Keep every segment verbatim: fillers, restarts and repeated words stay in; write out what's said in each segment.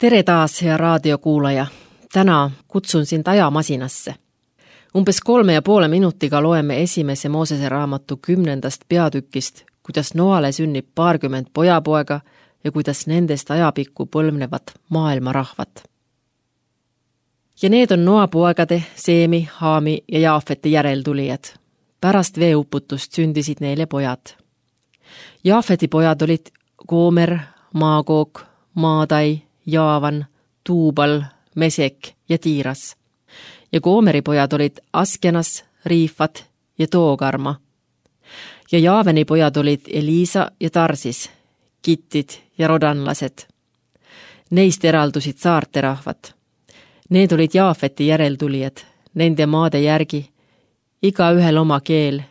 Tere taas, hea raadiokuulaja. Täna kutsun sind ajamasinasse. Umbes kolme ja poole minutiga loeme esimese Moosese raamatu kümnendast peatükist, kuidas Noale sünnib paarkümmend pojapoega ja kuidas nendest ajapikku põlvnevad maailmarahvad. Ja need on Noa poegade, Seemi, Haami ja Jaafeti järeltulijad. Pärast veeuputust sündisid neile pojad. Jaafeti pojad olid Goomer, Maagog, Maadai, Jaavan, Tuubal, Mesek ja Tiiras. Ja Goomeri pojad olid Askenas, Riifat ja Toogarma. Ja Jaaveni pojad olid Eliisa ja Tarsis, Kittid ja Rodanlased. Neist eraldusid saarte rahvad. Need olid Jaafeti järeltulijad, nende maade järgi, iga ühel oma keel,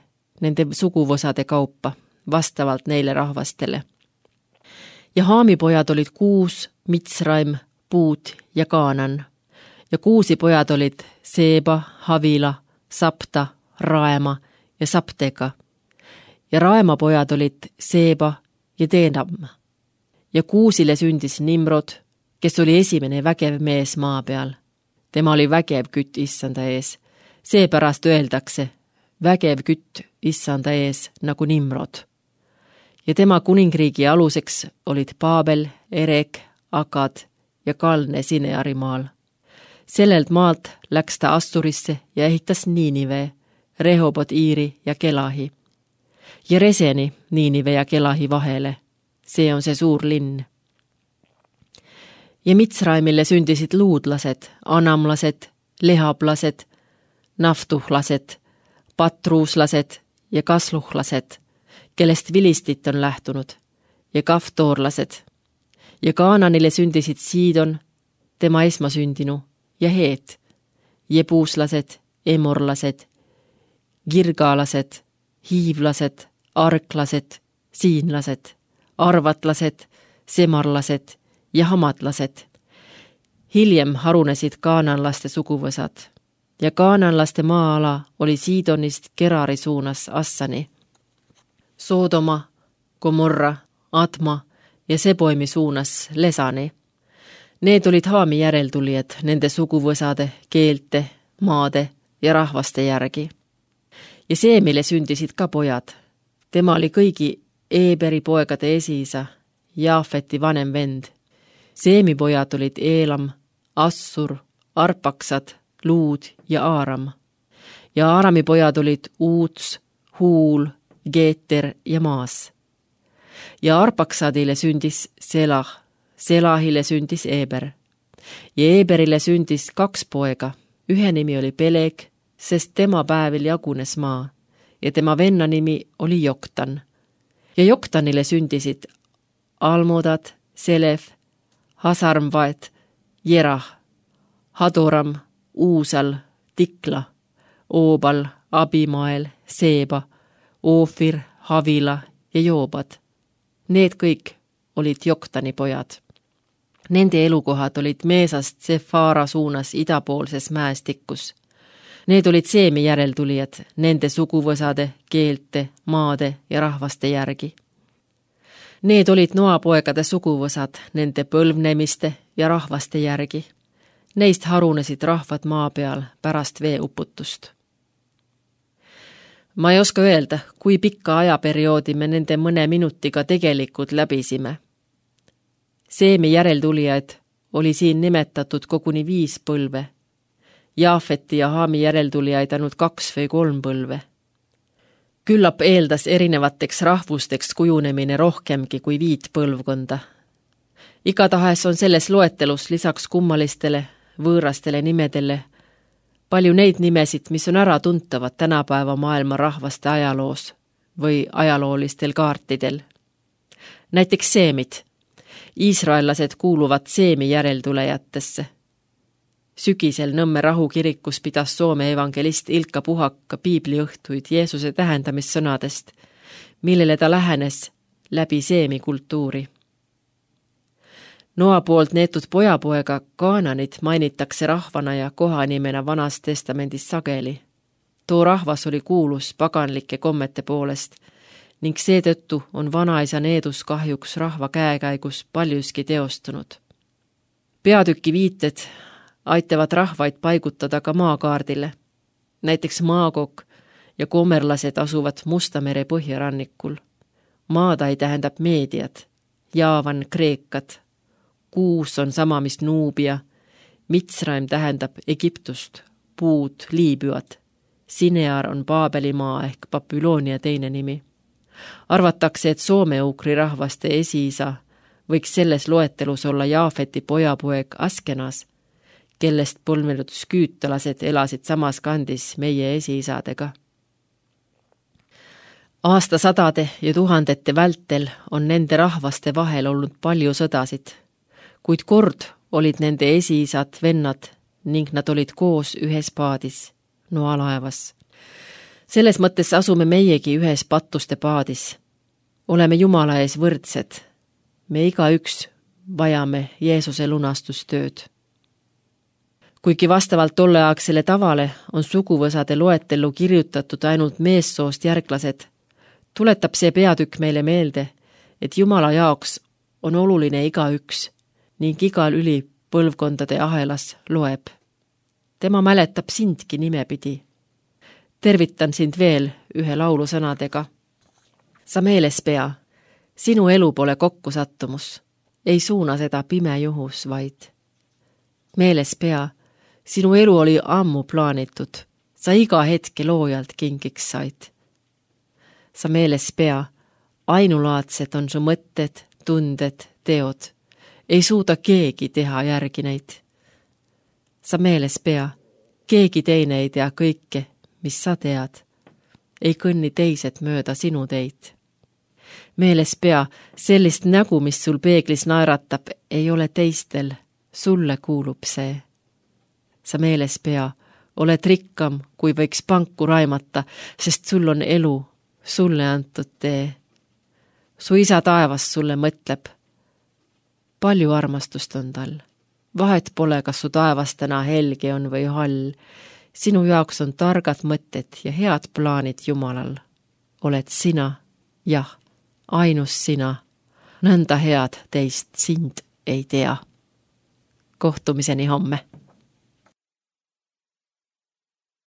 nende suguvõsade kaupa, vastavalt neile rahvastele. Ja Haami pojad olid Kuus, Mitsraim, Puut ja Kaanan. Ja Kuusi pojad olid Seeba, Havila, Sapta, Raema ja Saptega. Ja Raema pojad olid Seeba ja Teenam. Ja Kuusile sündis Nimrod, kes oli esimene vägev mees maa peal. Tema oli vägev kütt issanda ees. Seepärast öeldakse, vägev kütt issanda ees nagu Nimrod. Ja tema kuningriigi aluseks olid Paabel, Erek, Akad ja Kalne Sinearimaal. Sellelt maalt läks ta Assurisse ja ehitas Niinive, Rehobot Iiri ja Kelahi. Ja Reseni Niinive ja Kelahi vahele. See on see suur linn. Ja Mitsraimille sündisid luudlased, anamlased, lehablased, naftuhlased, patruuslased ja kasluhlased, kellest Vilistit on lähtunud, ja kaftoorlased. Ja Kaananile sündisid Siidon, tema esmasündinu, ja Heet, jebuuslased, emorlased, girgaalased, hiivlased, arklased, siinlased, arvatlased, semarlased ja hamatlased. Hiljem harunesid kaananlaste suguvõsad ja kaananlaste maa-ala oli Siidonist Gerari suunas Assani. Soodoma, Gomorra, Adma ja Seboimi suunas Lesani. Need olid Haami järeltulijad nende suguvõsade, keelte, maade ja rahvaste järgi. Ja Seemile sündisid ka pojad. Tema oli kõigi Eeberi poegade esiisa, Jaafeti vanem vend. Seemi pojad olid Eelam, Assur, Arpaksad, Luud ja Aaram. Ja Aarami pojad olid Uuts, Huul, Geeter ja Maas. Ja Arpaksadile sündis Selah, Selahile sündis Eeber. Ja Eeberile sündis kaks poega. Ühe nimi oli Peleg, sest tema päevil jagunes maa. Ja tema venna nimi oli Joktan. Ja Joktanile sündisid Almodad, Selef, Hasarmvaet, Jerah, Hadoram, Uusal, Tikla, Oobal, Abimael, Seeba, Oofir, Havila ja Joobad. Need kõik olid Joktani pojad. Nende elukohad olid Meesast Sefara suunas idapoolses mäestikus. Need olid Seemi järeltulijad, nende suguvõsade, keelte, maade ja rahvaste järgi. Need olid Noa poegade suguvõsad, nende põlvnemiste ja rahvaste järgi. Neist harunesid rahvad maa peal pärast veeuputust. Ma ei oska öelda, kui pikka ajaperioodi me nende mõne minutiga tegelikult läbisime. Seemi järeltulijaid oli siin nimetatud koguni viis põlve. Jaafeti ja Haami järeltulijaid ainult kaks või kolm põlve. Küllap eeldas erinevateks rahvusteks kujunemine rohkemgi kui viit põlvkonda. Igatahes on selles loetelus lisaks kummalistele, võõrastele nimedele palju neid nimesid, mis on ära tuntavad tänapäeva maailma rahvaste ajaloos või ajaloolistel kaartidel. Näiteks Seemid. Iisraellased kuuluvad Seemi järeltulejatesse. Sügisel Nõmme rahukirikus pidas Soome evangelist Ilkka Puhak piibliõhtuid Jeesuse tähendamissõnadest, millele ta lähenes läbi Seemi kultuuri. Noa poolt neetud pojapoega Kaananit mainitakse rahvana ja kohanimena Vanas testamendis sageli. Too rahvas oli kuulus paganlike kommete poolest ning seetõttu on vanaisa needus kahjuks rahva käekäigus paljuski teostunud. Peatüki viited aitavad rahvaid paigutada ka maakaardile. Näiteks maakok ja komerlased asuvad Musta mere põhjarannikul. Maadai tähendab meediat, Jaavan Kreekat, Kuus on sama mis Nuubia, Mitsraim tähendab Egiptust, Puud Liibüat, Sinear on Paabelimaa ehk Babyloonia teine nimi. Arvatakse, et soome-ukri rahvaste esiisa võiks selles loetelus olla Jaafeti pojapoeg Askenas, kellest põlvnenud sküütalased elasid samas kandis meie esiisadega. Aastasadade ja tuhandete vältel on nende rahvaste vahel olnud palju sõdasid, kuid kord olid nende esiisad vennad ning nad olid koos ühes paadis, noalaevas. Selles mõttes asume meiegi ühes patuste paadis. Oleme Jumala ees võrdsed. Me igaüks vajame Jeesuse lunastustööd. Kuigi vastavalt tolleaegsele tavale on suguvõsade loetellu kirjutatud ainult meessoost järglased, tuletab see peatükk meile meelde, et Jumala jaoks on oluline igaüks ning igal üli põlvkondade ahelas loeb. Tema mäletab sindki nimepidi. Tervitan sind veel ühe laulu sõnadega. Sa meeles pea, sinu elu pole kokkusattumus, ei suuna seda pime juhus vaid. Meeles pea, sinu elu oli ammu plaanitud, sa iga hetke loojalt kingiks said. Sa meeles pea, ainulaadsed on su mõtted, tunded, teod. Ei suuda keegi teha järgi neid. Sa meeles pea, keegi teine ei tea kõike, mis sa tead. Ei kõnni teised mööda sinu teid. Meeles pea, sellist nägu, mis sul peeglis naeratab, ei ole teistel, sulle kuulub see. Sa meeles pea, oled rikkam, kui võiks panku raimata, sest sul on elu, sulle antud tee. Su isa taevas sulle mõtleb. Palju armastust on tal. Vahet pole, kas su taevas täna helge on või hall. Sinu jaoks on targad mõtted ja head plaanid Jumalal. Oled sina, jah, ainus sina. Nõnda head teist sind ei tea. Kohtumiseni homme.